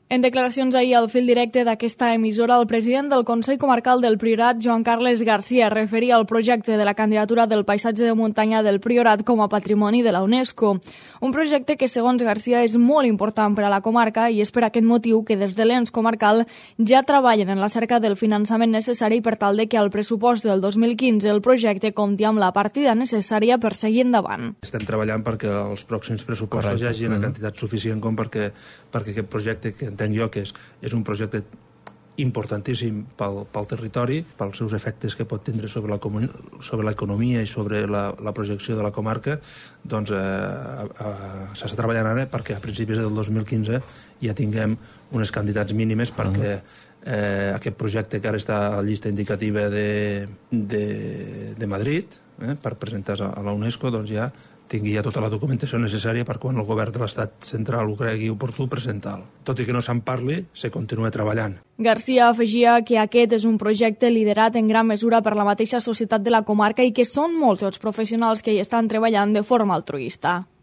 En declaracions ahir al fil directe d'aquesta emissora, el president del Consell Comarcal del Priorat, Joan Carles García, referia al projecte de la candidatura del paisatge de muntanya del Priorat com a patrimoni de la UNESCO. Un projecte que, segons García, és molt important per a la comarca i és per aquest motiu que des de l'ens comarcal ja treballen en la cerca del finançament necessari per tal de que al pressupost del 2015 el projecte compti amb la partida necessària per seguir endavant. Estem treballant perquè els pròxims pressupostos hi hagi una quantitat suficient com perquè aquest projecte, que entenc jo que és un projecte importantíssim pel territori, pels seus efectes que pot tindre sobre l'economia i sobre la projecció de la comarca, doncs s'està treballant ara perquè a principis del 2015 ja tinguem unes quantitats mínimes perquè aquest projecte que ara està a la llista indicativa de Madrid per presentar a la UNESCO, doncs ja tingui ja tota la documentació necessària per quan el govern de l'Estat central ho cregui oportú presentar-lo. Tot i que no se'n parli, se continua treballant. García afegia que aquest és un projecte liderat en gran mesura per la mateixa societat de la comarca i que són molts els professionals que hi estan treballant de forma altruista.